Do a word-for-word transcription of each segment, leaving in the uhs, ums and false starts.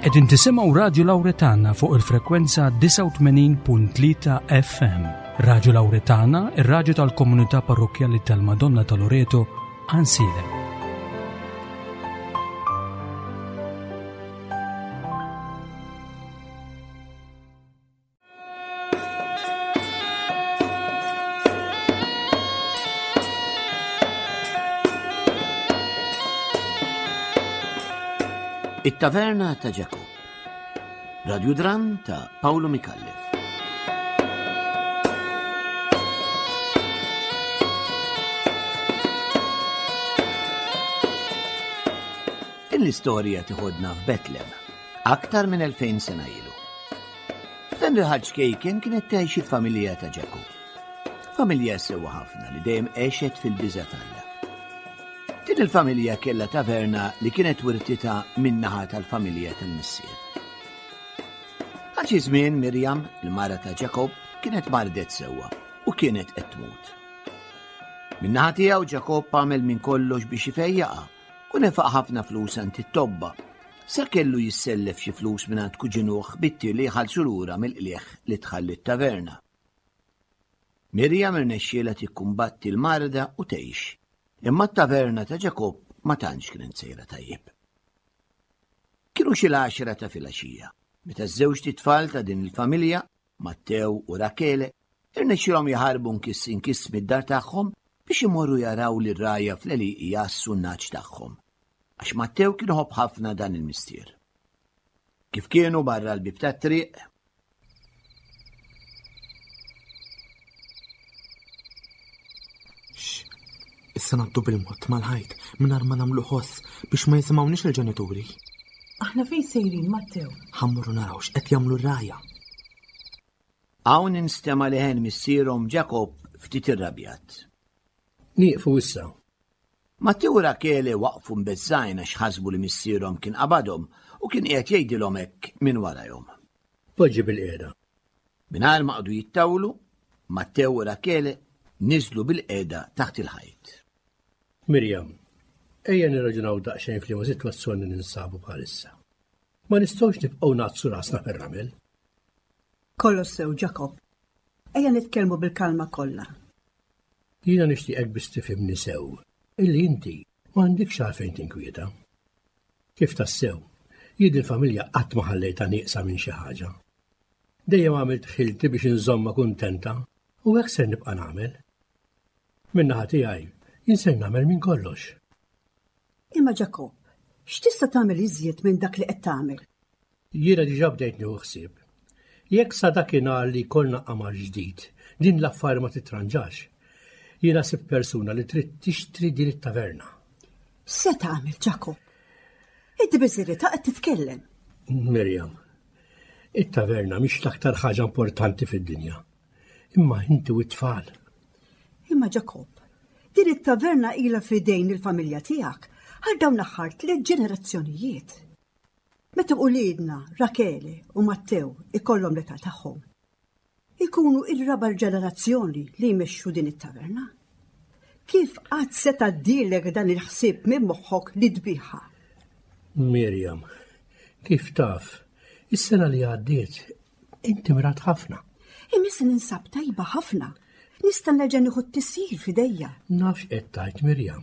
Qegħdin tisimgħu Radju Lawretana fuq il-frekwenza disgħa u tmenin punt tlieta F M. Radju Lawretana, ir-radju tal-komunità parrokkjali tal-Madonna ta' Loreto, Għajnsielem. It-Taverna ta' Ġakobb. Radiodram ta' Paolo Micallef. Din l-istorja tiħodna f'Betlem, aktar minn elfejn sena ilu. F'dan il-ħaġ ċkejken kienet tgħix il-familja ta' Ġakobb. Familja sewwa ħafna li dejjem għexet fil-biża' t'Alla. Din il-familja kellha taverna li kienet wirtita min-naħa tal-familja tal-missier. Għal xi żmien Mirjam, il-mara ta' Ġakobb, kienet mardet sewwa u kienet qed tmut. Min-naħa tiegħu Ġakobb għamel minn kollox biex ifejjaqha u nefaq ħafna flus għand it-tobba. Sa kellu jissellef xi flus mingħand kuġinuh bitti li jħallsu lura mill-qligħ li tħalli t-taverna. Mirjam irnexxielha tikkumbatti l-marda u tgħix. Imma t-taverna ta' Ġakobb ma tantx kienet sejra tajjeb. Kienu xi l-għaxra ta' filgħaxija, meta ż-żewġt itfal ta' din il-familja, Mattew u Rakele, irnexxielhom jaħarbu nkiss inkiss mid-dar tagħhom biex imorru jaraw lir-rgħajja fl-għelieqi jgħassu n-nagħaġ tagħhom, għax Mattew kien iħobb ħafna dan il-mistier. Kif kienu barra l-bib tat-triq, Issa ngħaddu bil-mod mal-ħajt mingħajr ma nagħmlu ħoss biex ma jisimgħuniex il-ġenituri. Aħna fejn sejrin, Mattew? Ħammurru naraw x'qed jagħmlu r-rgħajja. Hawn instema' leħen missierhom Ġakobb ftit irrabjat. Nieqfu issa. Mattew u Rakele waqfu mbeżżajn għax ħasbu li missierhom kien qabadhom u kien qiegħed jgħidilhom hekk minn warajhom. Poġġi bil-qiegħda. Mingħajr ma qagħdu jittawlu, Mattew u Rakele niżlu bil-qiegħda taħt il-ħajt. Mirjam, ejja nirraġunaw daqsxejn f'liema sitwazzjoni ninsabu bħalissa. Ma nistgħux nibqgħu ngħaddsu rasna fir-ramel. Kollox sew, Ġakobb. Ejja nitkellmu bil-kalma kollha. Jiena nixtieqek biex tifhimni sew, illi inti ma għandikx għalfejn tinkwieta. Kif tassew, jien il-familja qatt ma ħallejtha nieqsa minn xi ħaġa. Dejjem għamilt ħilti biex inżomma kuntenta u hekk ser nibqa' nagħmel. Min-naħa tiegħi, jien ser nagħmel minn kollox. Imma Ġakobb, x'tista' tagħmel iżjed minn dak li qed tagħmel? Jiena diġà bdejt nieħu ħsieb. Jekk sa dakinhar li jkollna qamar ġdid, din l-affar ma titranġax. Jiena sib persuna li trid tixtri din it-taverna. Se tagħmel, Ġakobb? Inti biżżejjed qed titkellem. Mirjam, it-taverna mhix l-aktar ħaġa importanti fid-dinja. Imma inti u t-tfal. Imma Ġakobb, din it-taverna ilha f'idejn il-familja tiegħek għal dawn l-aħħar tliet ġenerazzjonijiet. Meta uliedna Rakele u Mattew ikollhom l-età tagħhom, ikunu il-raba' ġenerazzjoni li jmexxu din it-taverna. Kif qatt se tgħaddilek dan il-ħsieb minn moħħok li tbigħha? Mirjam, kif taf, is-sena li għaddiet inti mrat ħafna. Imma issa ninsab tajba ħafna. Nista' nerġa' nieħu t-tisjir f'idejja. Nafx qed tgħid, Mirjam.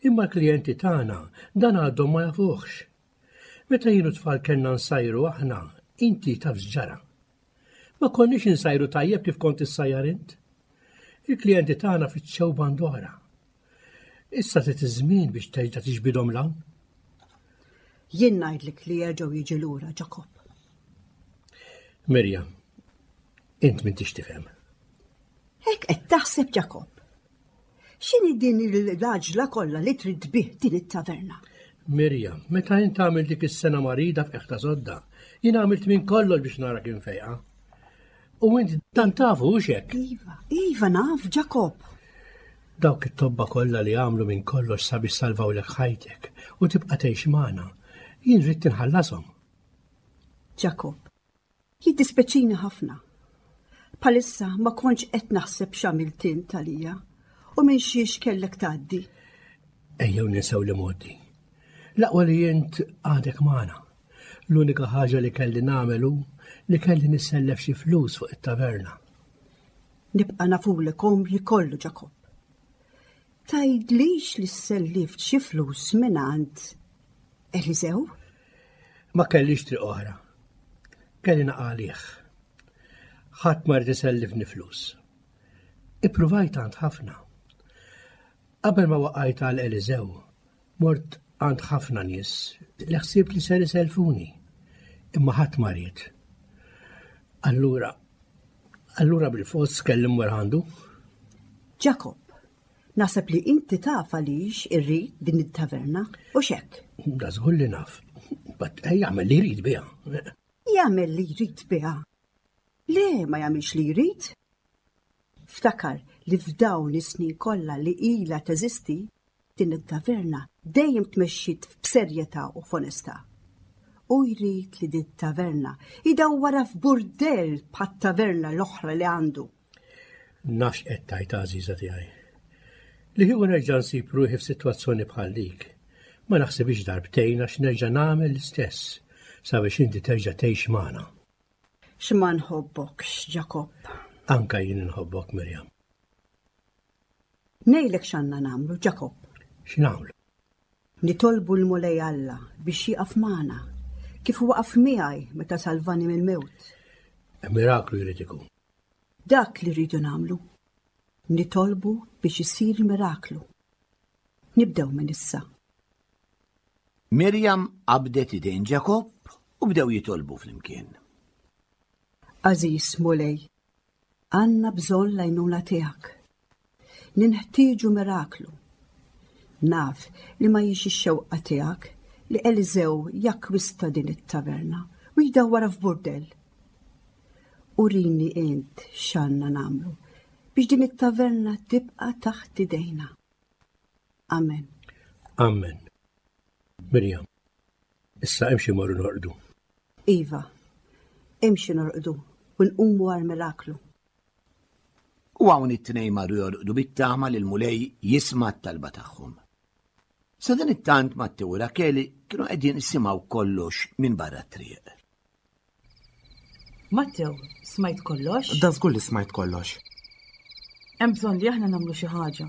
Imma l-klijenti tagħna dan għadhom ma jafuhx. Meta jienu tfal kellna nsajru aħna, inti taf x'ġara. Ma konniex insajru tajjeb kif kont issajjar int. Il-klijenti tagħna fittxew bandora. Issa trid iż-żmien biex terġa' tiġbidhom 'l hawn. Jien ngħidlek li jerġgħu jiġu lura, Ġakobb. Mirjam, int m'intix tifhem. Hekk qed taħseb, Ġakobb. X'inhi din l-għaġla kollha li trid tbigħ din it-taverna? Mirjam, meta int għamilt dik is-sena marida f'qiegħ ta' sodda, jien għamilt minn kollox biex narak infejqa. U int dan tafu hux hekk? Iva, iva naf, Ġakobb. Dawk it-tobba kollha li għamlu minn kollox sabiex salvawlek ħajtek u tibqa' tgħix magħna, jien rrid tinħallashom. Ġakobb, jiddispeċini ħafna. Bħalissa ma kontx qed naħseb x'għamilt int għalija u minn xiex kellek tgħaddi. Ejjew ninsew li modi. L-aqwa li int għadek magħna. L-unika ħaġa li kelli nagħmel hu li kelli nissellef xi flus fuq it-taverna. Nibqa' nafulek għomri kollu, Ġakobb. Tgħidlix li ssellift xi flus mingħand Eliżew? Ma kellix triq oħra. Kelli naqa' għalih. Ħadd ma ried isellifni flus. Ippruvajt għand ħafna. Qabel ma waqajt għal Eliżew, mort għand ħafna nies li ħsibt li ser iselfuni, imma ħadd ma ried. Allura, allura bil-fors kelli mmur għandu. Ġakobb, naħseb li inti taf għaliex irrid din it-taverna, u x'hekk? Da żgur li naf. But eh, jagħmel li jrid biha. Jagħmel li jrid biha. Le, ma jagħmilx li jrid. Ftakar li f'dawn is-snin kollha li ilha teżisti, din it-taverna dejjem tmexxiet b'serjetà u f'onestà. Hu jrid li din it-taverna jdawwarha f'burdell bħat-taverna l-oħra li għandu. Naf x'qed tgħid għażiża tiegħi. Li kieku nerġa' nsib ruħi f'sitwazzjoni bħal dik, ma naħsibhiex darbtejn għax nerġa' nagħmel l-istess sabiex inti terġa' tgħix magħna. X'ma nħobbokx, Ġakobb. Anka jien inħobbok, Mirjam. Ngħidlek x'għandna nagħmlu, Ġakobb. X'nagħmlu? Nitolbu l-Mulej Alla biex jieqaf magħna, kif waqaf miegħi meta salvani mill-mewt. Miraklu jrid ikun. Dak li rridu nagħmlu. Nitolbu biex isir miraklu. Nibdew minn issa. Mirjam qabdet idejn Ġakobb u bdew jitolbu flimkien. Għażiż Mulej, għandna bżonn l-għajnuna tiegħek. Ninħtieġu miraklu. Naf li ma hijiex ix-xewqa tiegħek li Eliżew jakkwista din it-taverna u jdawwarha f'burdell. Urini int x'għandna nagħmlu biex din it-taverna tibqa' taħt idejna. Amen. Amen. Mirjam, issa imxi morru norqdu. Iva, imxi norqdu u nqumu għal miraklu. U hawn it-tnejn marru jorqdu bit-tama li l-Mulej jisma' t-talba tagħhom. Sadanittant Mattew u Rakeli kienu qegħdin jisimgħu kollox minn barra t-triq. Mattew, smajt kollox? Da żgur li smajt kollox. Hemm bżonn li aħna nagħmlu xi ħaġa.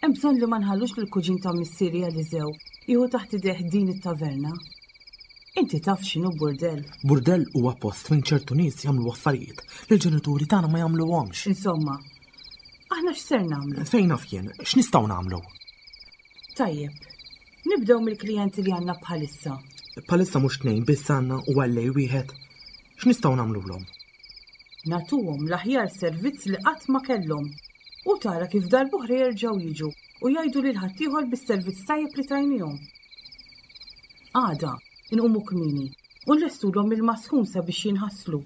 Hemm bżonn li ma nħallux lill-kuġin ta' missieri Eliżew jieħu taħt idejh din it-taverna. Inti taf x'inhu burdell. Burdell huwa post fejn ċertu nies jagħmlu affarijiet li l-ġenituri tagħna ma jagħmluhomx. Insomma, aħna x'ser nagħmlu? Fejn naf jien, x'nistgħu nagħmlu? Tajjeb, nibdew mill-klijenti li għandna bħalissa. Bħalissa mhux tnejn biss għandna u għallej wieħed. X'nistgħu nagħmlulhom? Nagħtuhom l-aħjar servizz li qatt ma kellhom. U tara kif darb'oħra jerġgħu jiġu u jgħidu lil ħaddieħor bis-servizz tajjeb li tajnihom. Għada, inqumu kmieni u nlestulhom ilma sħun sabiex jinħaslu.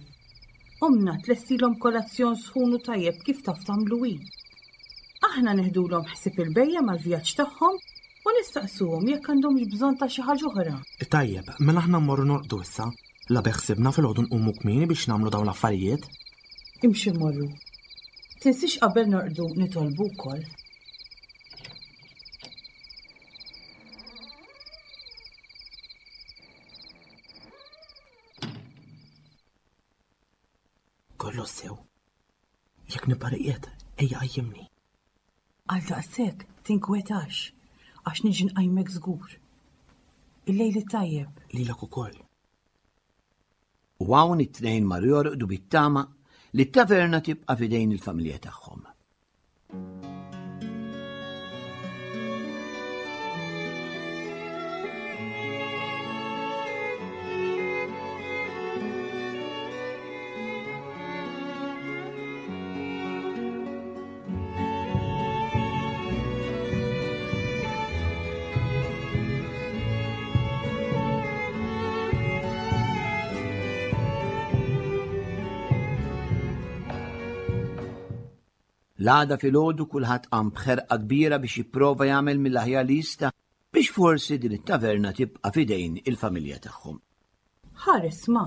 Omna tlestilhom kolazzjon sħun u tajjeb kif taf tagħmlu hi. Aħna neħdulhom ħsieb il-bejja mal-vjaġġ tagħhom u nistaqsuhom jekk għandhomx bżonn ta' xi ħaġa oħra. Tajjeb, mela aħna mmorru norqdu issa. La beħsibna filgħodu nqumu kmieni biex nagħmlu dawn l-affarijiet. Imxi mmorru. Tinsiex qabel norqdu nitolbu wkoll. Kollox sew. Jekk nibqa' riqiet, ejja qajjimni. Għal daqshekk tinkwetax għax niġi nqajmek żgur. Il-lejl it-tajjeb. Lilek ukoll. U hawn it-tnejn marru jorqdu bit-tama li t-taverna tibqa' f'idejn il-familja tagħhom. L-għada filgħodu kulħadd qam b'ħerqa kbira biex jipprova jagħmel mill-aħjar li jista' biex forsi din it-taverna tibqa' f'idejn il-familja tagħhom. Ħares ma,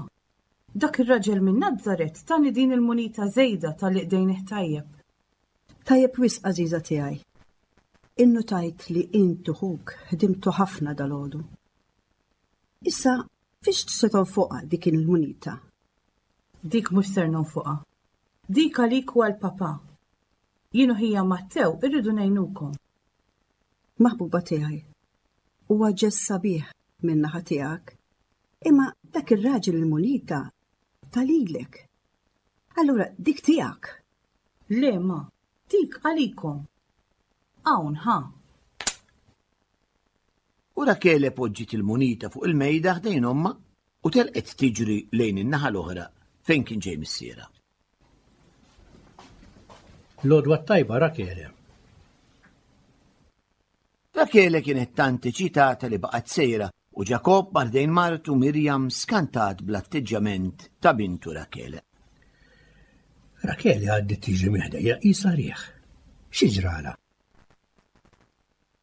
dak ir-raġel minn Nazzaret tani din il-munita żejda tal-li qdejnih tajjeb. Tajjeb wisq għażiża tiegħi. Innutajt li int u ħuk ħdimtu ħafna dalgħodu. Issa Fiex se tonfoqha dik il-munita? Dik mhux ser nonfoqha. Dik għalik u għal-papa. Jien u ħija Mattew irridu ngħinukom. Maħbuba tiegħi, huwa ġest sabiħ min-naħa tiegħek. Imma dak ir-raġel il-munita ta lilek. Allura dik tiegħek. Le ma, dik għalikom. Hawn ħa. U Rakele poġġiet il-munita fuq il-mejda ħdejn ommha u telqet tiġri lejn in-naħa l-oħra fejn kien ġej missierha. L-għodwa tajba, Rakele. Rakele kienet tant eċitata li baqgħet sejra u Ġakobb mar ħdejn martu Mirjam skantat bl-atteġġjament ta' bintu Rakele. Rakele għaddiet tiġri minn ħdejja qisha riħ. Xi ġralha?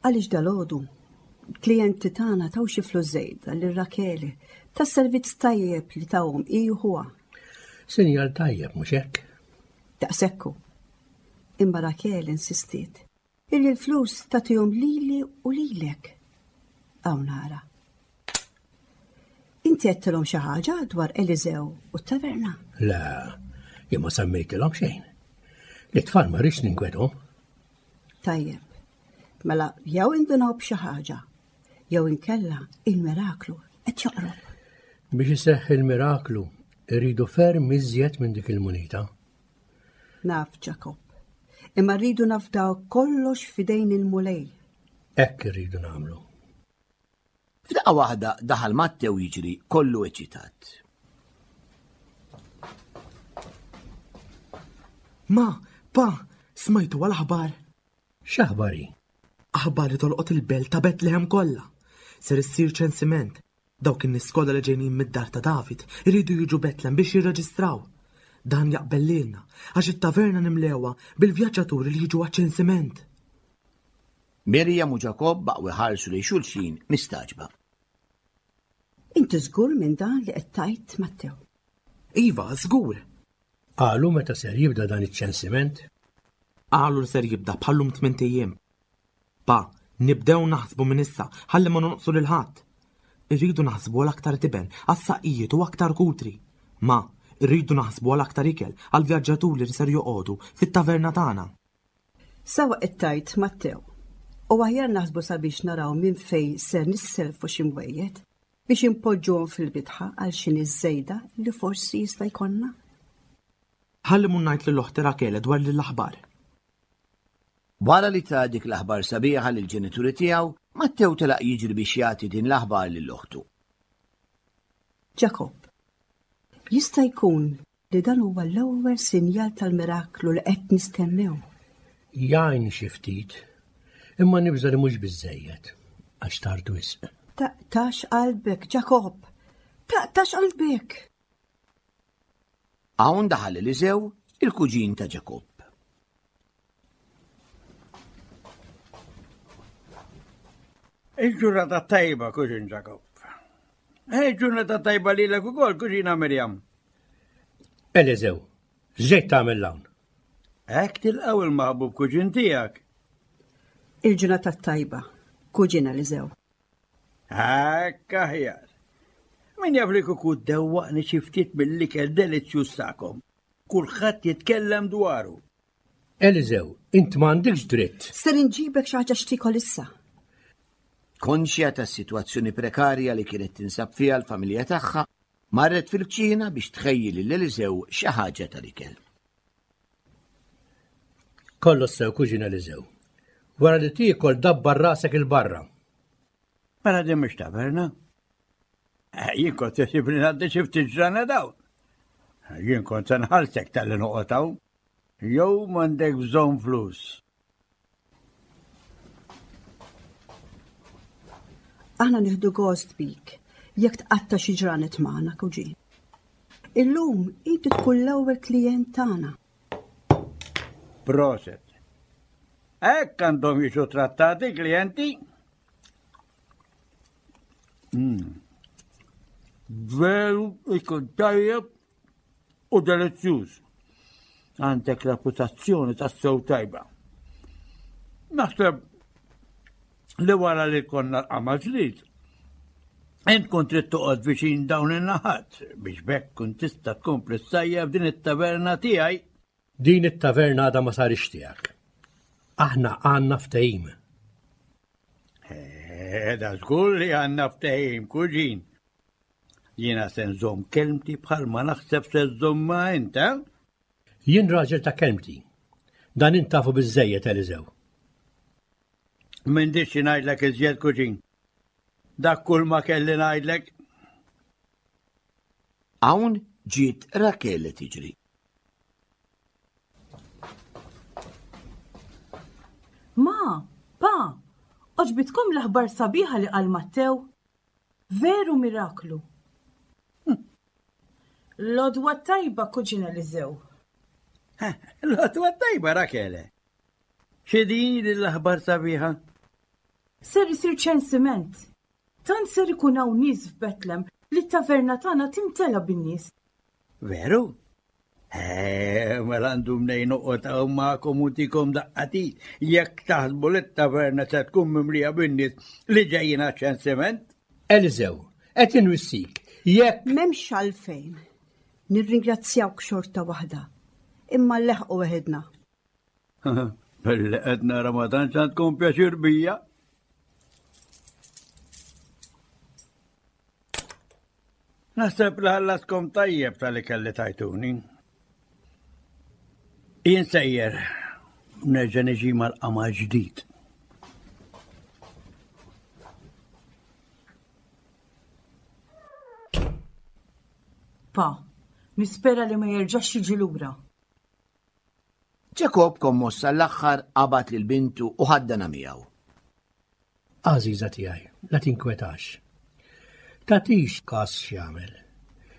Għaliex dalgħodu, klijenti tagħna taw xi flus żejda lil Rakele tas-servizz tajjeb li tawhom hi u ħuha. Sinjal tajjeb mhux hekk? Daqshekk hu. Imma Rakele insistiet illi l-flus tagħtihom lili u lilek. Hawn ara. Inti għedtilhom xi ħaġa dwar Eliżew u t-taverna? Le, jien ma semmejtilhom xejn. Lit-tfal ma rridx ninkwetahom. Tajjeb. Mela jew indunaw b'xi ħaġa, jew inkella il-miraklu qed joqrob. Biex iseħħ il-miraklu, irridu ferm iżjed minn dik il-munita. Naf, Ġakobb. Imma rridu nafdaw kollox f'idejn il-Mulej. Hekk irridu nagħmlu. F'daqqa waħda daħal Mattew jiġri kollu eċitat. Ma, pa, smajtu għal-aħbar? X'aħbar hi? Aħbar li tolqot il-belt ta' Betlehem kollha. Ser issir ċensiment. Dawk in-nies kollha li ġejjin mid-dar ta' David iridu jiġu Betlehem biex jirreġistraw. Dan jaqbel lilna għax it-taverna nimlewha bil-vjaġġaturi li jiġu għaċ-ċensiment. Mirjam u Ġakobb baqgħu jħarsu lejn xulxin mistagħġba. Inti żgur minn dan li qed tgħid, Mattew? Iva, żgur. Qalu meta ser jibda dan iċ-ċensiment? Qalu li ser jibda bħallum tmint ijiem. Pa, nibdew naħsbu minn issa ħalli ma nonqsu lil ħadd. Irridu naħsbu għal aktar tiben, għas-saqqijiet u aktar kutri. Ma, irridu naħsbu għal aktar ikel għal vjaġġaturi li ser joqogħdu fit-taverna tagħna. Sewwa qed tgħid, Mattew. U aħjar naħsbu sabiex naraw minn fejn ser nisselfu xi mwejjed biex impoġġuhom fil-bitħa għal xi nies żejda li forsi jista' jkollna. Ħalli mmur ngħid lil oħti Rakele dwar l-aħbar. Wara li ta dik l-aħbar sabiħa lill-ġenituri tiegħu, Mattew telaq jiġri biex jagħti din l-aħbar lil oħtu. Ġakobb, jista' jkun li dan huwa l-ewwel sinjal tal-miraklu li qed nistennew. Jgħin xi ftit, imma nibża' li mhux biżżejjed, għax tard wisq. Taqtax qalbek, Ġakobb, taqtax qalbek. Hawn daħal Eliżew, il-kuġin ta' Ġakobb. Il-ġurnata tajba, kuġin Ġakobb. Il-ġurnata tajba lilek ukoll, kuġina Mirjam. Eliżew, x'ġejt tagħmel hawn? Hekk tilqgħu il-maħbub kuġin tiegħek. Il-ġurnata tajba, kuġin Eliżew. Hekk aħjar. Min jaf li kuku ddewwaqni xi ftit mill-ikel delizzjuż tagħkom. Kulħadd jitkellem dwaru. Eliżew, int m'għandekx dritt. Ser inġibek xi ħaġa x'tiekol issa. Konxja tas-sitwazzjoni prekarja li kienet tinsab fiha l-familja tagħha, marret fil-kċina biex tħejji lil Eliżew xi ħaġa tal-ikel. Kollox sew, kuġin Eliżew. Wara li tiekol dabbar rasek il-barra. Mela din mhix taverna. Jien kont isibni ngħaddi xi ftit ġrana dawn. Jien kont se nħallsek talli noqgħod hawn. Jew m'għandek bżonn flus. Aħna nieħdu gost bik jekk tqatta' xi ġranet magħna, kuġin. Illum inti tkun l-ewwel klijent tagħna. Proset. Hekk għandhom jiġu trattati klijenti. Mm. Veru ikun tajjeb u delizzjuż. Għandek reputazzjoni tassew tajba. Naħseb li wara li konna l-qama ġdid, Int kont trid toqgħod viċin dawn in-naħat biex b'hekk kont tista' tkompli ssajjar f'din it-taverna tiegħi. Din it-taverna għadha ma sarix tiegħek. Aħna għandna ftehim. Eh, da żgur li għandna ftehim, kuġin. Jiena se nżomm kelmti bħalma naħseb se żżommha int, eh? Jien raġel ta' kelmti. Dan int tafu biżżejjed, Eliżew. M'għandix xi ngħidlek iżjed, kuġin. Dak kull ma kelli ngħidlek. Hawn ġiet Rakele tiġri. Ma, pa, oġbitkom l-aħbar sabiħa li qal Mattew? Veru miraklu. Hm. L-odwa tajba, kuġin Eliżew. L-odwa tajba, Rakele. X'inhi l-aħbar sabiħa? Ser isir ċensiment. Tant ser ikun hawn nies f'Betlem li t-taverna tagħna timtela bin-nies. Veru? Eh, mela għandu mnejn noqgħod hawn magħkom u ntikom daqqatit jekk taħsbu li t-taverna se tkun mimlija bin-nies li ġejjin għaċ-ċensiment. Eliżew, qed inwissik, jekk M'hemmx għalfejn. Nirringrazzjawk xorta waħda. Imma nleħqu weħidna. Billi qed nara ma tantx għandkom pjaċir bija. Naħseb li ħallaskom tajjeb tal-ikel li tajtuni. Jien sejjer nerġa' niġi mal-qamar ġdid. Pa, nispera li ma jerġax jiġi lura. Ġakob kommoss għall-aħħar qabad lil bintu u ħaddana miegħu. Għażiża tiegħi, la tinkwetax. Tagħtix każ x'jagħmel.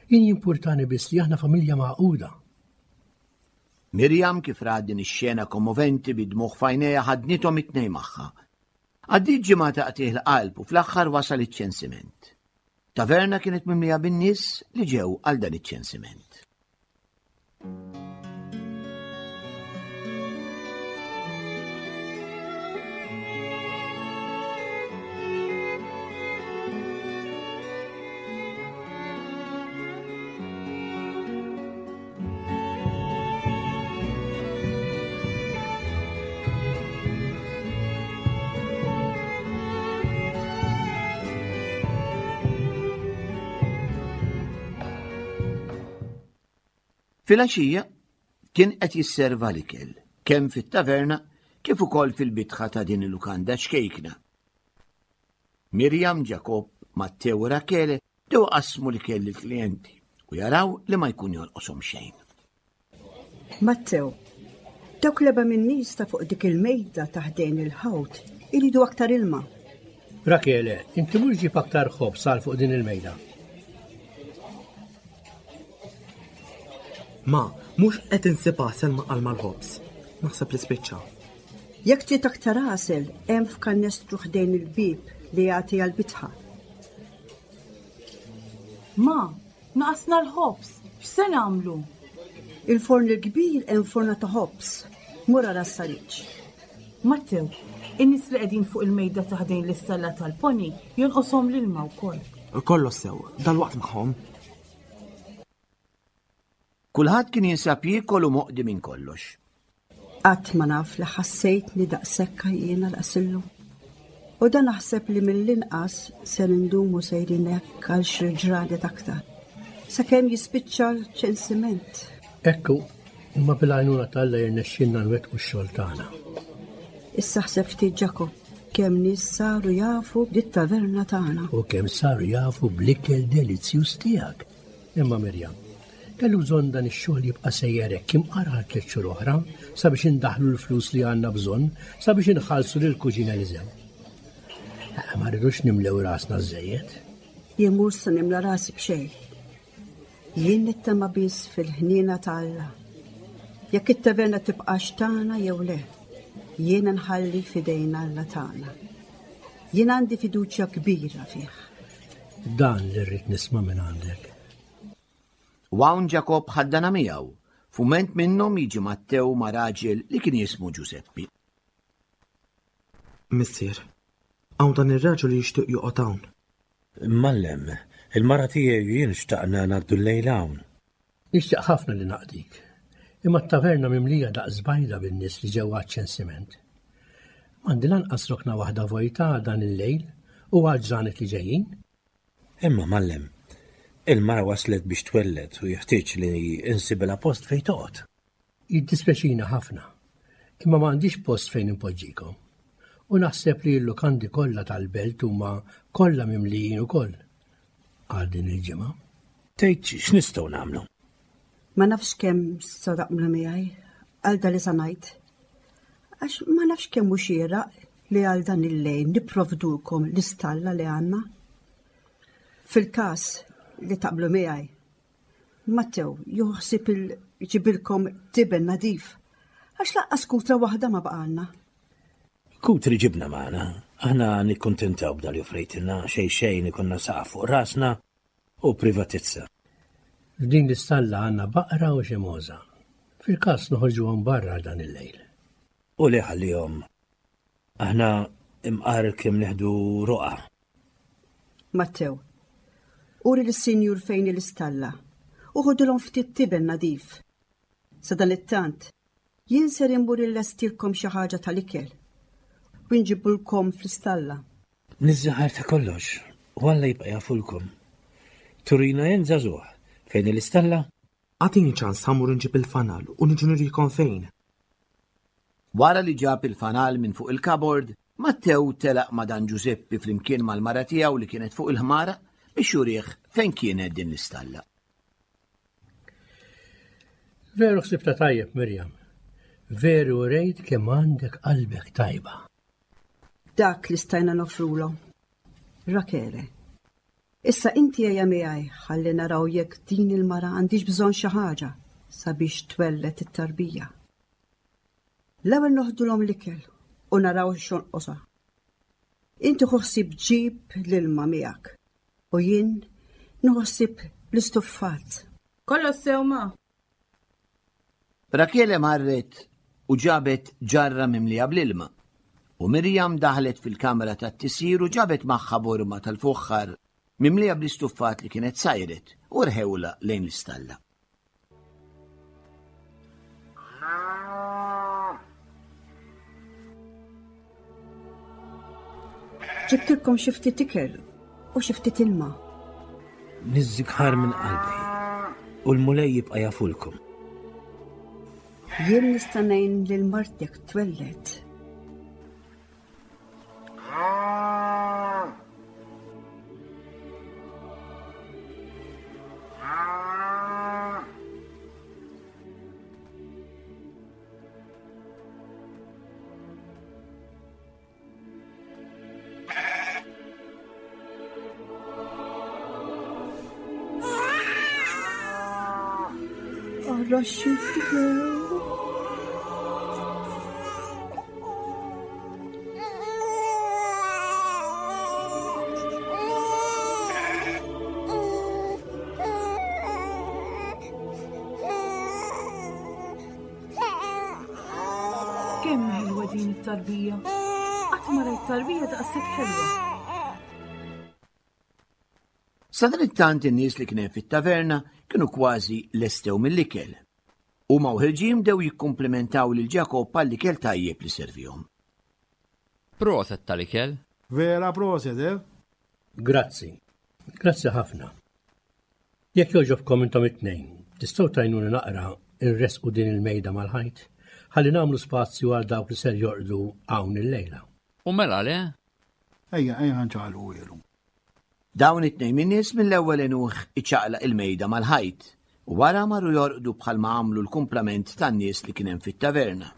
Jien jimpurtani biss li aħna familja magħquda. Mirjam kif rat din ix-xena kommoventi bid-dmugħ f'għajnejha ħadnithom it-tnejn magħha. Għaddiet ġimgħa taqtigħ il-qalb u fl-aħħar wasal iċ-ċensiment. Taverna kienet mimlija bin-nies li ġew għal dan iċ-ċensiment. Filgħaxija kien qed jisserva l-ikel, kemm fit-taverna kif ukoll fil-bitħa ta' din il-lukanda ċkejkna. Mirjam, Ġakob, Mattew u Rakele bdew qasmu l-ikel lill-klijenti u jaraw li ma jkun jonqoshom xejn. Mattew, dawk l-eba' min-nies ta' fuq dik il-mejda ta' ħdejn il-ħawt iridu aktar ilma. Rakele, inti mhux ġib aktar ħobż għal fuq din il-mejda. Ma, mhux qed insib għasel ma' qalma l-ħobż. Naħseb li spiċċa. Jekk trid aktar għasel, hemm f'kannestru ħdejn il-bieb li jagħti għall-bitħa. Ma, naqasna l-ħobż, x'se nagħmlu? Il-forn il-kbir hemm forna ta' ħobż, mur ara s-sariċ. Mattew, in-nies li qegħdin fuq il-mejda ta' ħdejn l-istalla tal-poni jonqoshom l-ilma wkoll. Kollox sew, dal-waqt magħhom. Kulħadd kien jinsab jiekol u moqdi minn kollox. Qatt ma naf li ħassejtni daqshekk jiena l-qasillu. U dan naħseb li mill-inqas se nindumu sejrin hekk għal xi ġranet aktar. Sakemm jispiċċa ċensiment. Ekku, imma bil-għajnuna t'Alla jirnexxilna nwettqu x-xogħol tagħna. Issa ħseb ftit Ġakob, kemm nies saru jafu bit-taverna tagħna. U kemm saru jafu bl-ikel delizzjuż tiegħek. Imma Mirjam, kellu bżonn dan ix-xogħol jibqa' sejjer hekk imqar għal tliet xhur oħra sabiex indaħħlu l-flus li għandna bżonn sabiex inħallsu lil kuġina Eliżew. Eh, ma rridux nimlew rasna żejjed. Jien mhux se nimla rasi b'xejn. Jien nittama biss fil-ħniena ta' Alla. Jekk it-taverna tibqax tagħna jew le, jien nħalli f'idejn Alla tagħna. Jien għandi fiduċja kbira fih. Dan li rrid nisma' minn għandek. U hawn Ġakob ħaddana miegħu, f'mument minnhom jiġi Mattew ma' raġel li kien jismu Ġużeppi. Missier, hawn dan ir-raġel li jixtieq joqgħod hawn. Mgħallem, il-mara tiegħi u jien xtaqna ngħaddu l-lejl hawn. Nixtieq ħafna li naqdik. Imma t-taverna mimlija daqs bajda bin-nies li ġew għaċ-ċensiment. M'għandi lanqas rokna waħda vojta għal dan il-lejl u għal ġranet li ġejjin. Imma mgħallem, il-mara waslet biex twelled u jeħtieġ li insibilha post fejn toqgħod. Jiddispjaċina ħafna, imma m'għandix post fejn inpoġġikom. U naħseb li l-lukandi kollha tal-belt huma kollha mimlijin ukoll għal din il-ġimgħa. Tgħid x'nistgħu nagħmlu? Ma nafx kemm se taqblu miegħi għal dan li sa ngħid. Għax ma nafx kemm hu xieraq li għal dan il-lejl nipprovdulkom l-istalla li għandna. Fil-każ li taqblu miegħi, Mattew jieħu ħsieb iġibilkom tiben nadif għax lanqas kutra waħda ma baqgħalna. Kutri ġibna magħna, aħna nikkuntentaw b'dan li offrejtilna xejn xejn ikollna saqaf fuq rasna u privatezza. F'din l-istalla għandna baqra u xi mogħża. Fil-każ noħorġuhom barra għal dan il-lejl. U li ħallihom. Aħna imqar kemm neħdu roqgħa. Mattew, uri lis-sinjur fejn l-istalla u ħudilhom ftit tiben nadif. Sadanittant, jien ser immur illestilkom xi ħaġa tal-ikel u nġibulkom fl-istalla. Niżżi ħajr ta' kollox, u Alla jibqa' jafulkom. Turina jien żagħżugħ fejn l-istalla? Agħtini ċans ħa mmur inġib il-fanal u niġu nurikom fejn. Wara li ġab il-fanal minn fuq il-kabord, Mattew telaq ma' dan Ġużeppi flimkien mal-mara tiegħu li kienet fuq il-ħmara biex jurih fejn kienet din l-istalla. Veru ħsibta tajjeb, Mirjam. Veru rejt kemm għandek qalbek tajba. Dak li stajna nofrulu. Rakele, issa inti ejja miegħi ħalli naraw jekk din il-mara għandix bżonn xi ħaġa sabiex twellet it-tarbija. L-ewwel noħdulhom l-ikel u naraw x'jonqosha. Inti ħu ħsieb ġib l-ilma miegħek u jien nieħu ħsieb l-istuffat. Kollox sew ma. Rakele marret u ġabet ġarra mimlija bl-ilma. U Mirjam daħlet fil-kamra tat-tisjir u ġabet magħha borma tal-fuħħar mimlija bl-istuffat li kienet sajret u rħewla lejn l-istalla. Ġibtilkom xi ftit ikel u xi ftit ilma. Niżżik ħar minn qalbi u l-Mulej jibqa' jafulkom. Jien nista' ngħin lil martek twelled. Ara x'jibdew. Kemm ħelwa din it-tarbija. Qatt ma rajt tarbija daqshekk ħelwa. Sadanittant in-nies li kien hemm fit-taverna kienu kważi lestew mill-ikel. Huma u ħelġin bdew jikkumplimentaw lil Ġakobb għall-ikel tajjeb li servihom. Proset tal-ikel. Vera proset, eh? Grazzi. Grazzi ħafna. Jekk jogħġobkom intom it-tnejn, tistgħu tgħinuni naqra nressqu din il-mejda mal-ħajt, ħalli nagħmlu spazju għal dawk li ser jorqdu hawn il-lejla. U mela le? Ejja, ejja ħanċaqalqu ilu. Dawn it-tnejn min-nies mill-ewwel għenuh iċaqlaq il-mejda mal-ħajt u wara marru jorqdu bħalma għamlu l-kumplament tan-nies li kien hemm fit-taverna.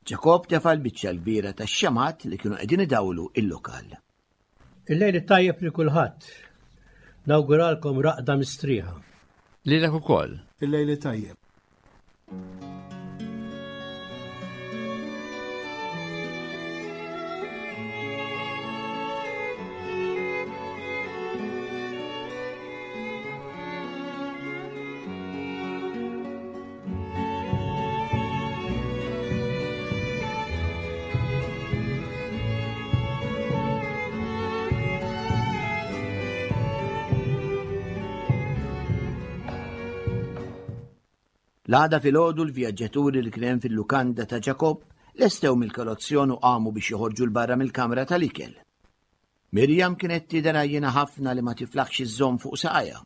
Ġakobb tefa' l-biċċa l-kbira tax-xemgħat li kienu qegħdin idawlu il-lokal. Il-lejl it-tajjeb li kulħadd. Nawguralkom raqda mistrieħa. Lilek ukoll. Il-lejl it-tajjeb. L-għada filgħodu l-vjaġġaturi li kien hemm fil-lukanda ta' Ġakobb lestew mill-kolazzjon u qamu biex joħorġu 'l barra mill-kamra tal-ikel. Mirjam kienet tidher għajjiena ħafna li ma tiflaħx iżżomm fuq saqajha.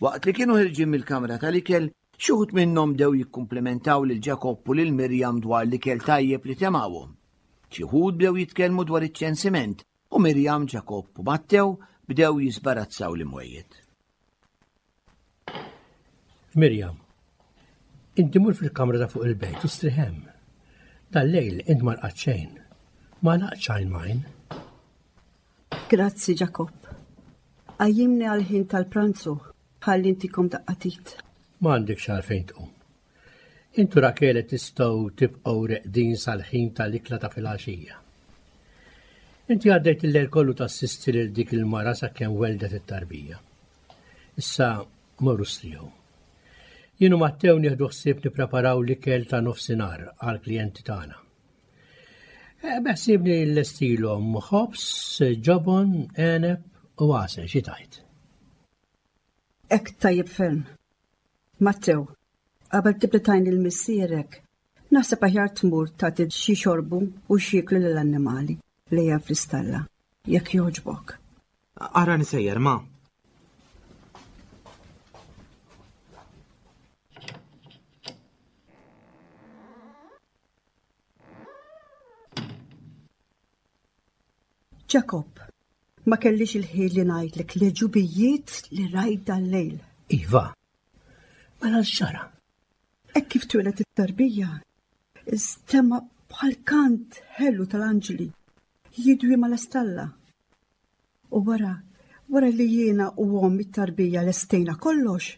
Waqt li kienu ħirġin mill-kamra tal-ikel, xi wħud minnhom bdew jikkumplimentaw lil Ġakobb u lil Mirjam dwar l-ikel tajjeb li temgħuhom. Xi wħud bdew jitkellmu dwar iċ-ċensiment u Mirjam, Ġakobb u Mattew bdew jiżbarazzaw l-imwejjed. Mirjam, inti mur fil-kamra ta' fuq il-bejt u strieħ hemm. Dal-lejl int ma rqadt xejn. Ma laqtx għajn m'għajn. Grazzi, Ġakobb. Qajjimni għall-ħin tal-pranzu, ħalli ntikom daqqa t'id. Ma għandekx għalfejn tqum. Int u Rakele tistgħu tibqgħu reqdin sal-ħin tal-ikla ta' filgħaxija. Inti għaddejt il-lejl kollu tassisti lil dik il-mara sakemm weldet it-tarbija. Issa morru strieħu. Jien u Mattew nieħdu ħsieb nippreparaw l-ikel ta' nofsinhar għall-klijenti tagħna. Eh, beħsiebni nlestilhom ħobż, ġobon, għeneb u għasel, xi tgħid? Hekk tajjeb ferm. Mattew, qabel tibda tgħin lil missierek, naħseb aħjar tmur tagħti xi xorbu u x'jieklu lill-annimali li hemm fl-istalla, jekk jogħġbok. Ara nisejjer, ma. Ġakobb, ma kellix il-ħin li ngħidlek l-għeġubijiet li rajt dal-lejl. Iva, mela x'ġara? Hekk kif twieldet it-tarbija, stema' bħal kant ħelu tal-anġli jidwi mal-istalla. U wara, wara li jiena u omm it-tarbija lestejna kollox,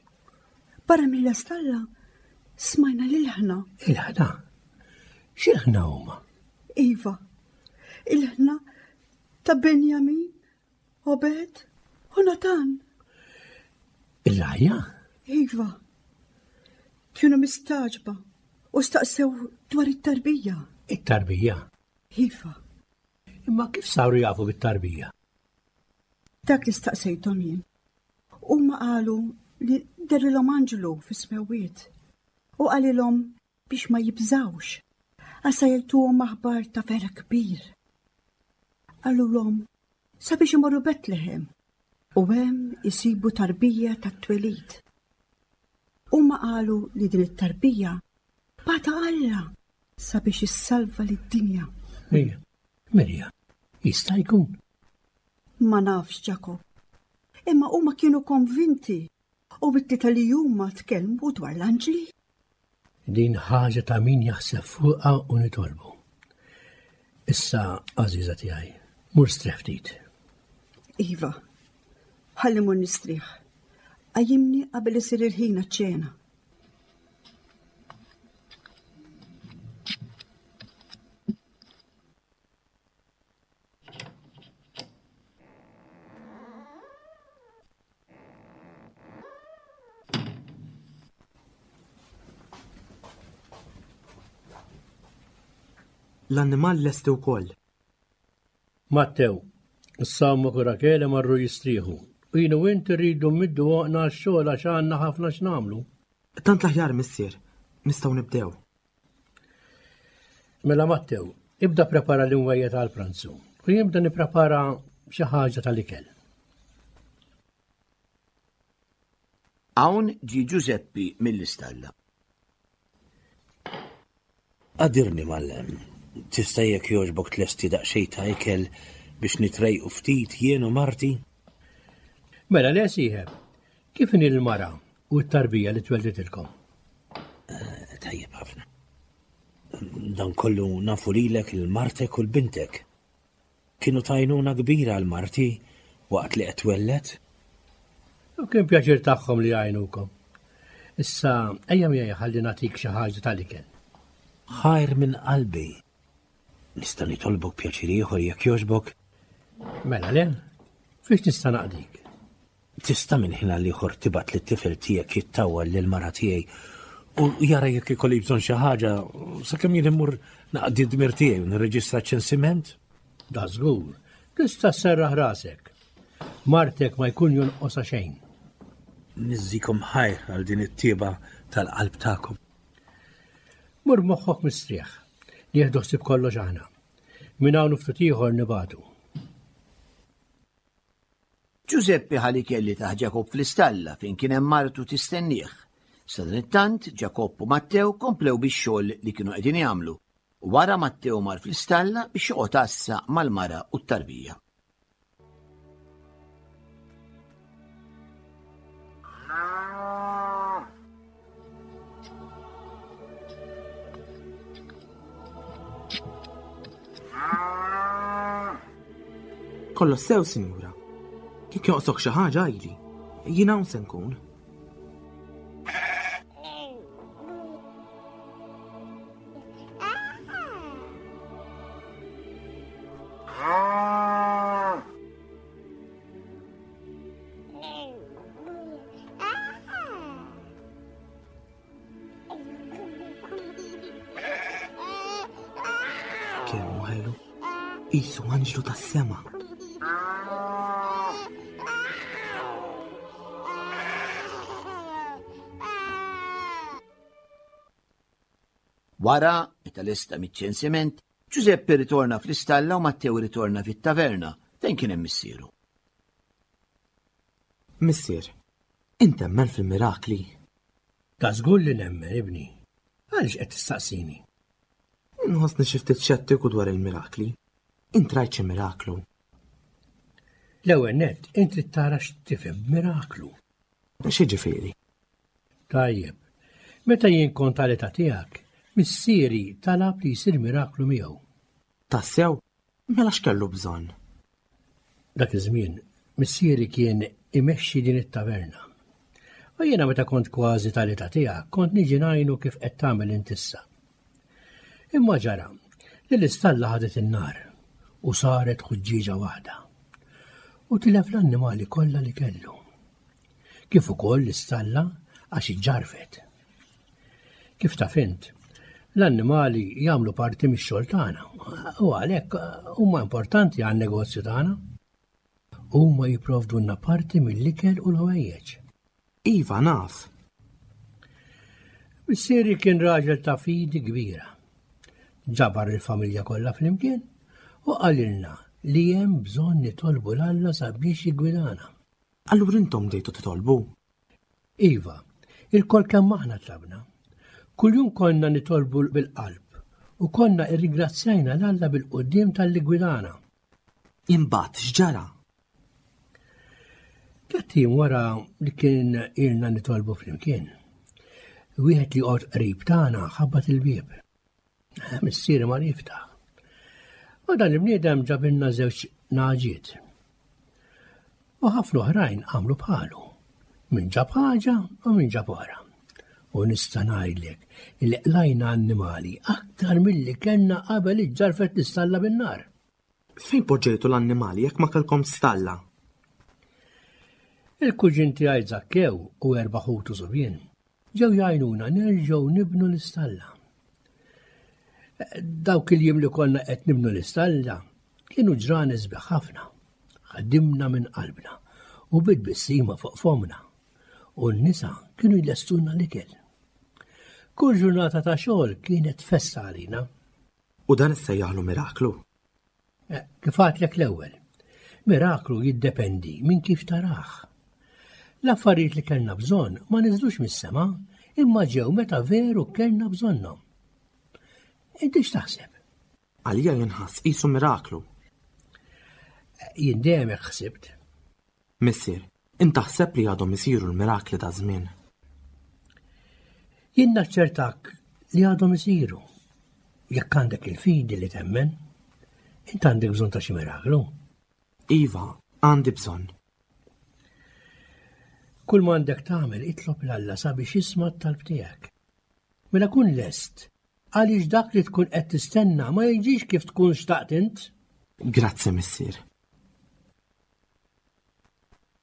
barra mill-istalla smajna l-ilħna. Il-ħna? X'ilħna huma? Iva, il-ħna ta' Benjamin, Obed u Natan. Il-lajja? Iva. Kienu mistagħġba u staqsew dwar it-tarbija. It-tarbija? Iva. Imma kif saru jafu bit-tarbija? Dak li staqsejthom jien. Huma qalu li derilhom anġlu fis-smewwiet u qalilhom biex ma jibżawx, għax se jagħtuhom aħbar ta' ferħ kbir. Qalulhom sabiex imorru Betlehem u hemm isibu tarbija tat-twelid. Huma qalu li din it-tarbija bagħatha Alla sabiex issalva lid-dinja. Ejja, Mirja, jista' jkun? Ma nafx, Ġakobb. Imma huma kienu konvinti u bit-tlieta li huma tkellmu dwar l-anġli. Din ħaġa ta' min jaħseb fuqha u nitolbu. Issa, għażiża tiegħi, mur strieħ ftit. Iva, ħalli mur nistrieħ. Qajjimni qabel isir il-ħin għaċ-ċena. L-annimal lesti wkoll. Mattew, issa ommok u Rakele marru jistrieħu. U jien u int irridu mmiddu għoqna għax-xogħol għax għandna ħafna x'nagħmlu. Tant l-aħjar, missier, nistgħu nibdew. Mela Mattew, ibda prepara l-imwejjed għall-pranzu u jien nibda nipprepara xi ħaġa tal-ikel. Hawn ġie Ġużeppi mill-istalla. Qadirni, mgħallem, tista' jekk jogħġbok tlesti daqsxejn ta' ikel biex nitrejqu ftit jien u marti? Mela le sieħeb, kif inhi l-mara u t-tarbija li twelditilkom? Eh, tajjeb ħafna. Dan kollu nafu lilek, il-martek u l-bintek. Kienu tajnuna kbira għal marti waqt li qed twelled. U kien pjaċir tagħhom li jgħinukom. Issa ejja miegħi ħalli nagħtik xi ħaġa tal-ikel. Ħajr minn qalbi. Nista' nitolbok pjaċir ieħor jekk jogħġbok? Mela le, fiex nista' naqdik? Tista' minn ħin għal ieħor tibgħat lit-tifel tiegħek jittawwal lil mara tiegħi u jara jekk ikolli bżonn xi ħaġa sakemm jien immur naqdi d-dmir tiegħi u nirreġistra ċensiment? Da żgur, tista' sserraħ rasek. Martek ma jkun jonqosha xejn. Niżżikom ħajr għal din it-tieba tal-qalb tagħkom. Mur moħħok mistrieħ, nieħdu ħsieb kollox aħna. Minn hawn ftit ieħor nibatu. Ġużeppi ħa l-ikel li tah Ġakobb fl-istalla fejn kien hemm martu tistennieh. Sadanittant, Ġakobb u Mattew komplew bix-xogħol li kienu qegħdin jagħmlu. U wara Mattew mar fl-istalla biex joqgħod għassa mal-mara u t-tarbija. Kollox sew, sinjura. Jekk jonqsok xi ħaġa għidli. Jien hawn se nkun. Kemm hu ħelu. Qisu anġlu tas-sema. Wara, meta lesta miċ-ċensiment, Ġużeppi ritorna fl-istalla u Mattew ritorna fit-taverna fejn kien hemm missieru. Missier, int temmen fil-mirakli? Ta' żgur li nemmen, ibni. Għaliex qed tistaqsini? Inħossni xi ftit xettiku dwar il-mirakli. Int rajt xi miraklu? L-ewwel nett, int trid tara x'tifhem b'miraklu. X'jiġifieri? Tajjeb. Meta jien kont tal-età tiegħek, missieri talab li jsir miraklu miegħu. Tassew? Mela x'kellu bżonn? Dak iż-żmien, missieri kien imexxi din it-taverna. U jiena meta kont kważi tal-età tiegħek, kont niġi ngħinu kif qed tagħmel int issa. Imma ġara li l-istalla ħadet in-nar u saret ħuġġieġa waħda. U tilef l-annimali kollha li kellu. Kif ukoll l-istalla għax iġġarfet. Kif taf int, l-annimali jagħmlu parti mix-xogħol tagħna u għalhekk huma importanti għan-negozju tagħna. Huma jipprovdulna parti mill-ikel u l-ħwejjeġ. Iva, naf. Missieri kien raġel ta' fidi kbira. Ġabar il-familja kollha flimkien u qalilna li hemm bżonn nitolbu 'l Alla sabiex jiggwidana. Allura intom bdejtu titolbu? Iva, ilkoll kemm aħna tlabna. Kuljum konna nitolbu bil-qalb u konna irringrazzjajna 'l Alla bil-quddiem talli ggwidana. Imbagħad x'ġara? Tlett ijiem wara li kien ilna nitolbu flimkien, wieħed li joqgħod qrib tagħna ħabbat il-bieb. Missieri mar jiftaħ. U dan il-bniedem ġabilna żewġ nagħġiet. U ħafna oħrajn għamlu bħalu. Min ġab ħaġa u min ġab oħra. U nista' ngħidlek li qlajna annimali aktar milli kellna qabel iġġarfet l-istalla bin-nar. Fejn poġġejtu l-annimali jekk ma kellkom stalla? Il-kuġin tiegħi Zakkew u erba' ħutu subien ġew jgħinuna nerġgħu nibnu l-istalla. Dawk il-jiem li konna qed nibnu l-istalla kienu ġranet sbieħ ħafna. Ħadimna minn qalbna u bit-tbissima fuq fomna. U n-nisa kienu jlestulna l-ikel. Kull ġurnata ta' xogħol kienet festa għalina. U dan issejjaħlu miraklu? Eh, kif għadtlek l-ewwel, miraklu jiddependi minn kif tarah. L-affarijiet li kellna bżonn ma niżlux mis-sema, imma ġew meta veru kellna bżonnhom. Inti x'taħseb? Għalija jinħass qisu miraklu. Jien dejjem hekk ħsibt. Missier, int taħseb li għadhom isiru l-mirakli ta' żmien? Jien naċċertak li għadhom isiru. Jekk għandek il-fidi li temmen, int għandek bżonn ta' xi miraklu. Iva, għandi bżonn. Kull ma għandek tagħmel itlob 'l Alla sabiex jisma' t-talb tiegħek. Mela kun lest, għaliex dak li tkun qed tistenna ma jiġix kif tkun xtaqt int. Grazzi, missier.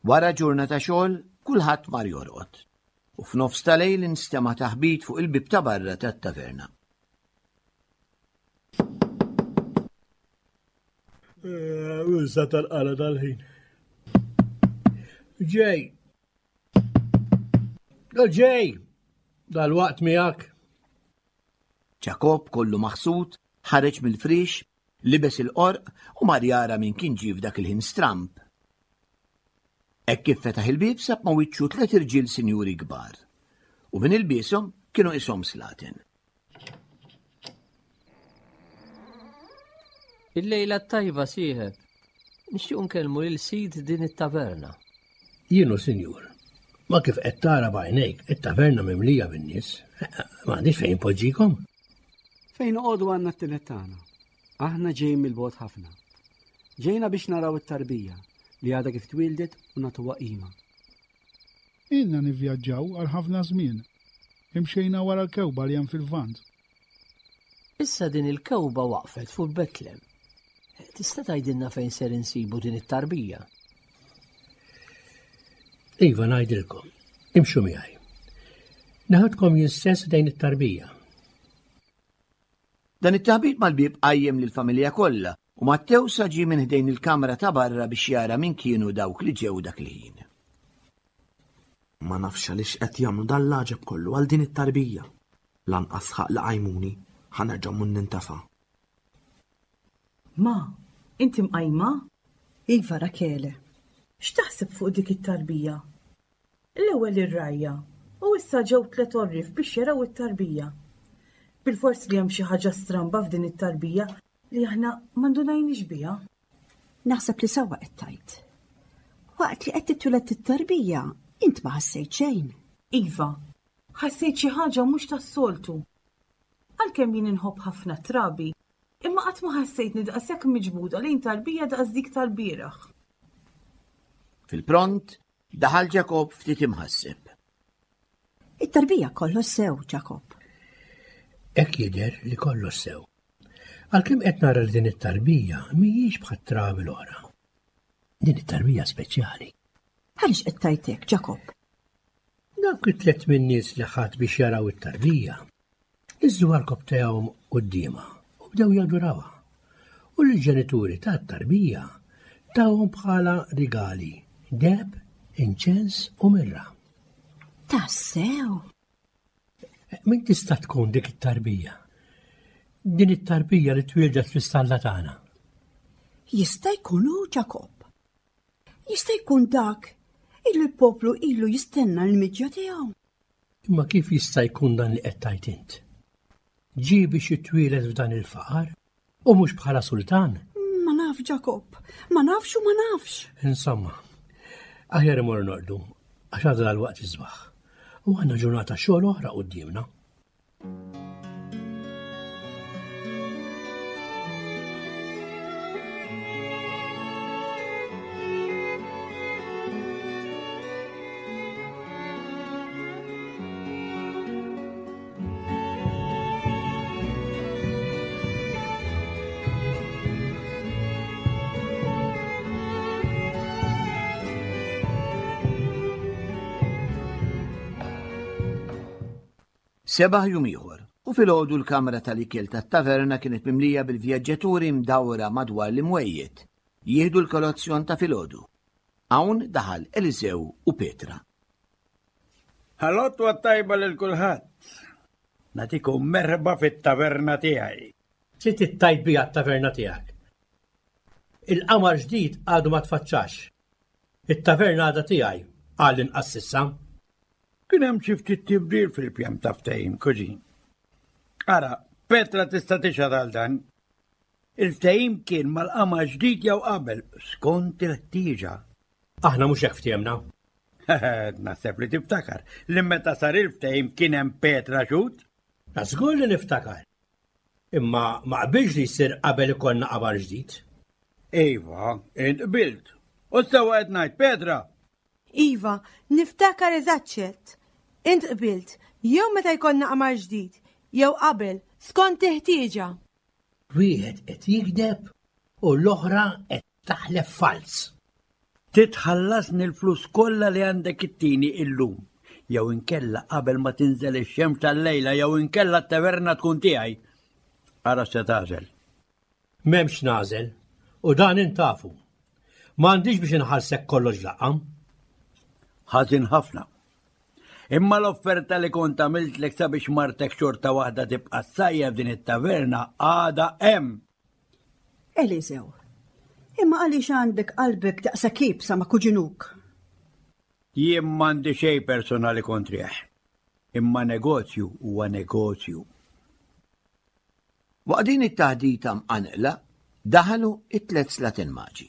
Wara ġurnata xogħol, kulħadd mar jorqod. U f'nofs ta' lejl instema' taħbit fuq il-bieb ta' barra tat-taverna. Uża tal-qala tal-ħin. Ġej! Ġej! Dal-waqt miegħek. Ġakob kollu maħsud, ħareġ mill-frix, libes il-qorq u mar jara min kien ġie f'dak il-ħin stramb. Hekk kif fetaħ il-bieb sab ma' wiċċu tliet irġiel sinjuri kbar. U minn ilbieshom kienu ishom slaten. Il-lejla tajba sieħeb. Nixtieq nkellmu lil sid din it-taverna. Jienu, sinjur, ma kif qed tara b'għajnejk, it-taverna mimlija bin-nies. M'għandix fejn poġġikom. Fejn noqogħdu għandna t-tinet tagħna. Aħna ġejjin mill-bogħod ħafna. Ġejna biex naraw it-tarbija li għadha kif twildet u nagħtuha qima. Ilna nivvjaġġaw għal ħafna żmien. Imxejna wara l-kewba li hemm fil-Lvant. Issa din il-kewba waqfet fuq Betlem. Tista' tgħidilna fejn ser insibu din it-tarbija? Iva ngħidilkom, imxu miegħi. Naħadkom jien stess dejn it-tarbija. Dan it-taħbit mal-bieb qajjem lill-familja kollha u Mattew sa ġie minn ħdejn il-kamra ta' barra biex jara min kienu dawk li ġew dak il-ħin. Ma nafx għaliex qed jagħmlu dan l-għaġeb kollu għal din it-tarbija. Lanqas ħaq li qajmuni, ħa nerġa' mmur nintefa'. Ma, inti mqajma? Iva, Rakele. X'taħseb fuq dik it-tarbija? L-ewwel ir-rajja u issa ġew tliet għorrief biex jaraw it-tarbija. Bilfors li hemm xi ħaġa stramba f'din it-tarbija li aħna ma ndunajniex biha. Naħseb li sewwa qed tgħid. Waqt li qed titwieled it-tarbija, int ma ħassejt xejn. Iva, ħassejt xi ħaġa mhux tas-soltu. Għalkemm jien inħobb ħafna trabi, imma qatt ma ħassejtni daqshekk miġbuda lejn tarbija daqs dik tal-bieraħ. Fil-pront, daħal Ġakob ftit imħasseb. It-tarbija kollox sew, Ġakob. Hekk jidher li kollox sew. Għalkemm qed nara li din it-tarbija mhijiex bħat-trabi l-oħra. Din it-tarbija speċjali. Għaliex qed tgħid hekk, Ġakob? Dawk it-tliet min-nies li ħadd biex jaraw it-tarbija, niżlu għarkob tiegħhom quddiemha u bdew jadurawha. U l-ġenituri tat-tarbija tawhom bħala rigali deheb, inċens u mirra. Tassew? Min tista' tkun dik it-tarbija? Din it-tarbija li twieldet fl-istalla tagħna. Jista' jkun hu, Ġakob. Jista' jkun dak illi l-poplu ilu jistenna l-miġja tiegħu. Imma kif jista' jkun dan li qed tgħid int? Ġie biex jitwieled f'dan il-faqar u mhux bħala sultan. Ma naf, Ġakob, ma nafx u ma nafx. Insomma, aħjar imorru norqdu għax għadha dal-waqt isbaħ. U għandna ġurnata xogħol oħra quddiemna. Sebaħ jum ieħor, u filgħodu l-kamra tal-ikel tat-taverna kienet mimlija bil-vjaġġaturi mdawra madwar l-imwejjed, jieħdu l-kolazzjon ta' filgħodu. Hawn daħal Elisew u Petra. Ħalotwa tajba lil kulħadd. Nagħtikom merħba fit-taverna tiegħi. Xi tittajt biha t-taverna tiegħek? Il-qamar ġdid għadu ma tfaċċax. It-taverna għadha tiegħi, għal inqas s'issa. Kien hemm xi ftit tibdil fil-pjan ta' ftehim, kuġin. Ara, Petra tista' tixhad għal dan. Il-ftehim kien mal-qamar ġdid jew qabel, skont il-ħtieġa. Aħna mhux hekk ftehemna. Naħseb li tiftakar li meta sar il-ftehim kien hemm Petra xhud. Ta' żgur li niftakar. Imma ma qbilx li jsir qabel ikollna qamar ġdid. Iva, int qbilt. U sewwa qed ngħid, Petra. Iva, niftakar eżatt x'għedt. Int qbilt, jew meta jkollna qamar ġdid, jew qabel, skont il-ħtieġa. Wieħed qed jigdeb u l-oħra qed taħlef falz. Titħallasni l-flus kollha li għandek ittini illum, jew inkella qabel ma tinżel ix-xemx tal-lejla, jew inkella t-taverna tkun tiegħi. Ara se tagħżel. M'hemmx nagħżel, u dan intafu. M'għandix biex inħallsek kollox laqam. Ħażin ħafna. Imma l-offerta li kont għamiltlek sabiex martek xorta waħda tibqa' ssajjar f'din it-taverna għadha hemm. Elizew, imma għaliex għandek qalbek daqshekk iebsa ma' kuġinuk? Jien m'għandi xejn personali kontrih. Imma negozju huwa negozju. Waqt din it-taħdita mqanqla daħlu it-tliet slaten maġi.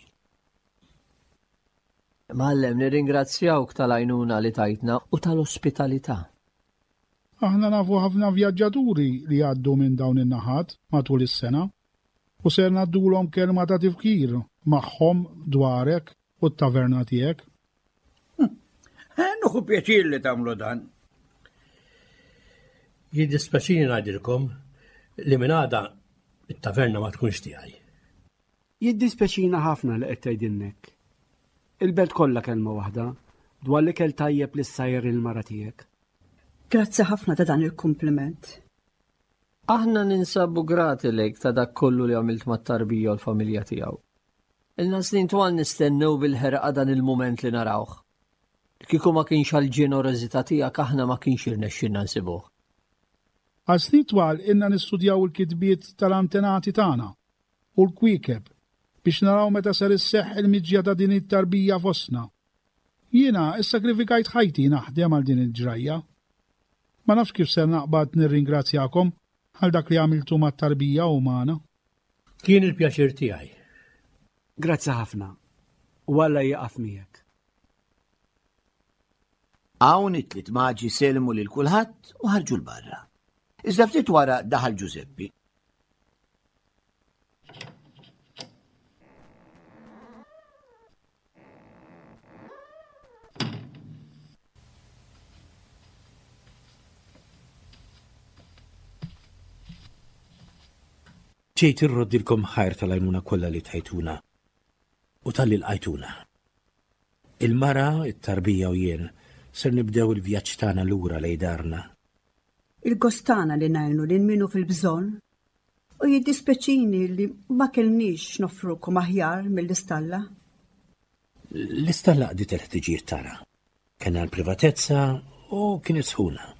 Mgħallem, nirringrazzjawk tal-għajnuna li tajtna u tal-ospitalità. Aħna nafu ħafna vjaġġaturi li jgħaddu minn dawn in-naħat matul is-sena u ser ngħaddulhom kelma ta' tifkir magħhom dwarek u t-taverna tiegħek. Nieħu pjaċir li tagħmlu dan. Jiddispjaċini ngħidilkom li minn għada it-taverna ma tkunx tiegħi. Jiddispjaċina ħafna li qed tgħidilna hekk. Il-belt kollha kelma waħda dwar l-ikel tajjeb li ssajjar il-mara tiegħek. Grazzi ħafna ta' dan il-kompliment. Aħna ninsabu grati lejk ta' dak kollu li għamilt mat-tarbija u l-familja tiegħu. Ilna snin twal nistennew bil-ħerqa dan il-mument li narawh. Kieku ma kienx għall-ġenerożità tiegħek aħna ma kienx irnexxilna nsibuh. Għal snin twal ilna nistudjaw il-kitbiet tal-antenati tagħna u l-kwiekeb biex naraw meta ser isseħħ il-miġja ta' din it-tarbija fostna. Jiena issakrifikajt ħajti naħdem għal din il-ġrajja. Ma nafx kif ser naqbad nirringrazzjakom għal dak li għamiltu mat-tarbija u magħna. Kien il-pjaċir tiegħi. Grazzi ħafna. U Alla jieqaf miegħek. Hawn it-tliet maġi selmu lil kulħadd u ħarġu 'l barra. Iżda ftit wara daħal Ġużeppi. Ġejt irroddilkom ħajr tal-għajnuna kollha li tajtuna u talli lqajtuna. Il-mara, it-tarbija u jien ser nibdew il-vjaġġ tagħna lura lejn darna. Il-gost tagħna li ngħinu lil min hu fil-bżonn u jiddispjaċini li ma kellniex noffrukom aħjar mill-istalla. L-istalla qdiet il-ħtiġijiet tagħna. Kellna l-privatezza u kienet sħuna.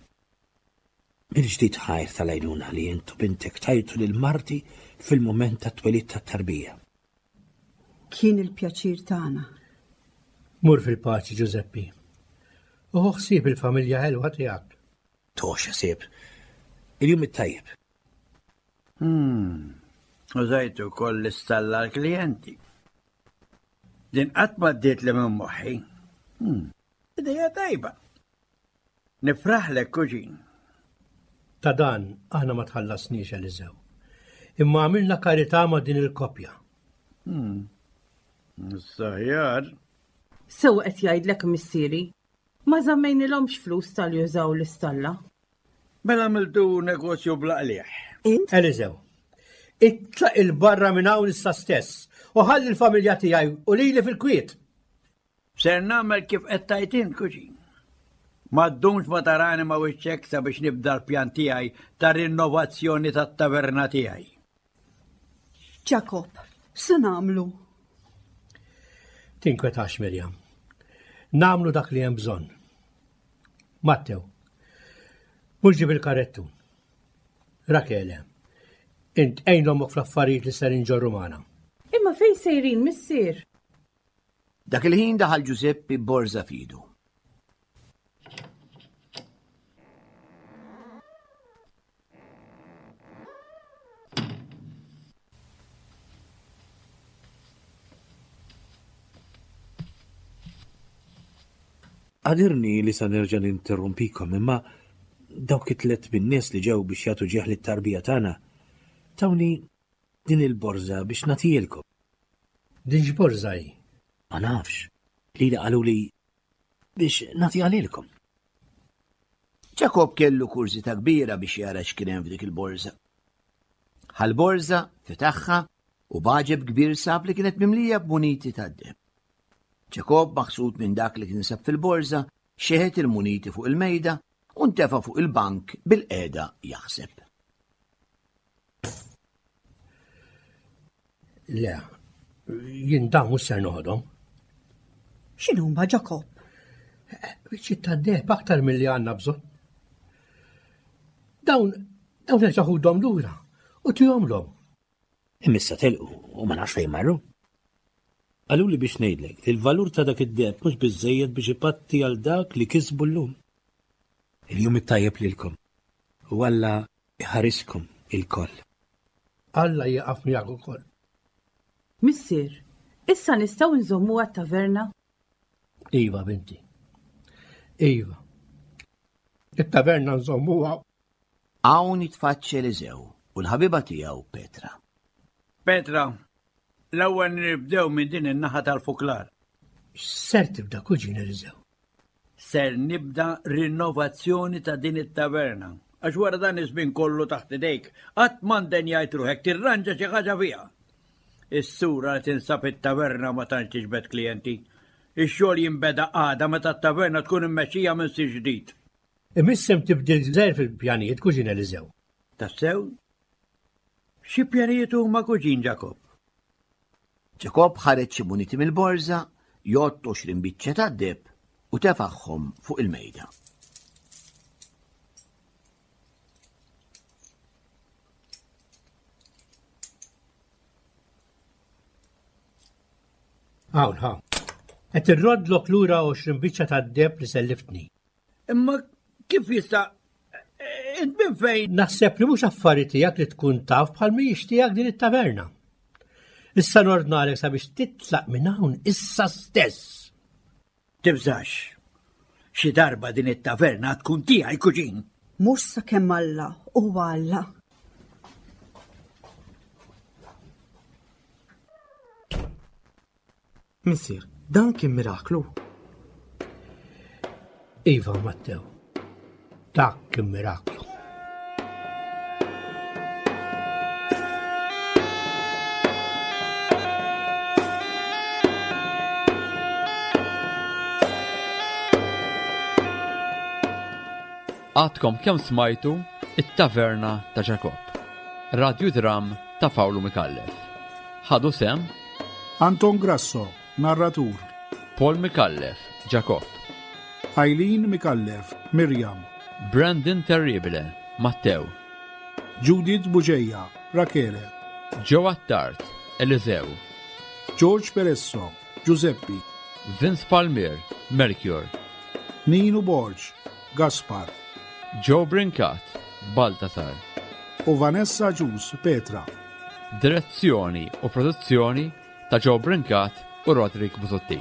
Mill-ġdid ħajr tal-għajnuna li int u bintek tajtu lil marti fil-mument tat-twelid tat-tarbija. Kien il-pjaċir tagħna. Mur fil-paċi, Ġużeppi. U ħu ħsieb il-familja ħelwa tiegħek. Tox ħsieb. Il-jum it-tajjeb. Hmm. Użajtu koll l-istalla l-klijenti. Din qatt ma ddiet li minn moħħi. Hmm. Ideja tajba. Nifraħlek, kuġin. Ta' dan aħna ma tħallasniex, Eliżew. Imma għamilna karità ma' din il-koppja. Hmm. Saħjar. Sew qed jgħidlek missieri. Ma żammejnilhomx flus tal-jużaw l-istalla. Mela għamiltu negozju bla qliegħ. Int? Eliżew, itlaq 'il barra minn hawn issa stess u ħalli l-familja tiegħi u lili fil-kwiet. Ser nagħmel kif qed tgħid int, kuġin. Ma ddumx ma tarani ma wiċċek sabiex nibda l-pjan tiegħi ta' rinnovazzjoni tat-taverna tiegħi. Ġakob, se nagħmlu? Tinkwetax, Mirjam. Nagħmlu dak li hemm bżonn. Mattew, mhux ġib il-karettun. Rakele, int għin l-ommok fl-affarijiet li ser inġorru magħna. Imma fejn sejrin, missier? Dak il-ħin daħal Ġużeppi borża f'idu. Għadirni li sa nerġa' ninterrompikom, imma dawk it-tliet min-nies li ġew biex jagħtu ġieħ lit-tarbija tagħna tawni din il-borża biex nagħtihielkom. Din x'borża hi? Ma nafx. Lili qaluli biex nagħtiha lilkom. Ġakob kellu kurżità kbira biex jara x'kien hemm f'dik il-borża. Ħall-borża, fetaħha u b'għaġeb kbir sab li kienet mimlija b'muniti tad-deheb. Ġakob, maħsud minn dak li kien sab fil-borża, xeħet il-muniti fuq il-mejda u ntefa' fuq il-bank bil-qiegħda jaħseb. Le, jien dawn mhux ser noħodhom. X'inhuma, Ġakob? Biċċiet ta' deheb aktar milli għandna bżonn. Dawn dawn nerġa' ħudhom lura u tihomlhom. Imma issa telqu u ma nafx fejn marru. Qaluli biex ngħidlek li l-valur ta' dak id-deheb mhux biżżejjed biex ipatti għal dak li kisbu llum. Il-jum it-tajjeb lilkom u Alla iħariskom ilkoll. Alla jieqaf miegħek ukoll. Missier, issa nistgħu nżommuha t-taverna? Iva, binti. Iva. It-taverna nżommuha. Hawn jitfaċċa Eliżew u l-ħabiba tiegħu Petra. Petra, l-ewwel nibdew minn din in-naħa tal-fuklar. X'ser tibda, kuġin Eliżew? Ser nibda rinnovazzjoni ta' din it-taverna. Għax wara dan iż-żmien kollu taħt idejk, qatt ma ndenjajt ruħek tirranġa xi ħaġa fiha. Is-sura li tinsab it-taverna ma tantx tiġbed klijenti. Ix-xogħol jinbeda għada meta t-taverna tkun immexxija minn sid ġdid. Imiss hemm tibdil żgħir fil-pjanijiet, kuġin Eliżew. Tassew? Xi pjanijiet huma, kuġin Ġakobb? Ġakobb ħareġ xi muniti mill-borża, jgħodd għoxrin biċċa tad-deheb u tefagħhom fuq il-mejda. Hawn, hawn. Qed irroddlok lura għoxrin biċċa tad-deheb li selliftni. Imma kif jista' int minn fejn? Naħseb li mhux affari tiegħek li tkun taf bħal mhijiex tiegħek din it-taverna. Issa nordnalek sabiex titlaq minn hawn issa stess. Tibżax. Xi darba din it-taverna tkun tiegħi, kuġin. Mhux sakemm Alla huwa Alla. Missier, dan kien miraklu. Iva, Mattew, dak kien miraklu. Għadkom kemm smajtu It-Taverna ta' Ġakobb, radjudram ta' Pawlu Micallef. Ħadu sehem Anton Grasso, narratur. Paul Micallef, Ġakobb. Eileen Micallef, Mirjam. Brandon Terribile, Mattew. Judith Bugeja, Rachele. Joe Attard, Eliseu. George Peresso, Giuseppe. Vince Palmier, Melchior. Nino Borg, Gaspar. Joe Brincat, Baltasar. U Vanessa Ġus, Petra. Direzzjoni u produzzjoni ta' Joe Brincat u Roderick Busuttil.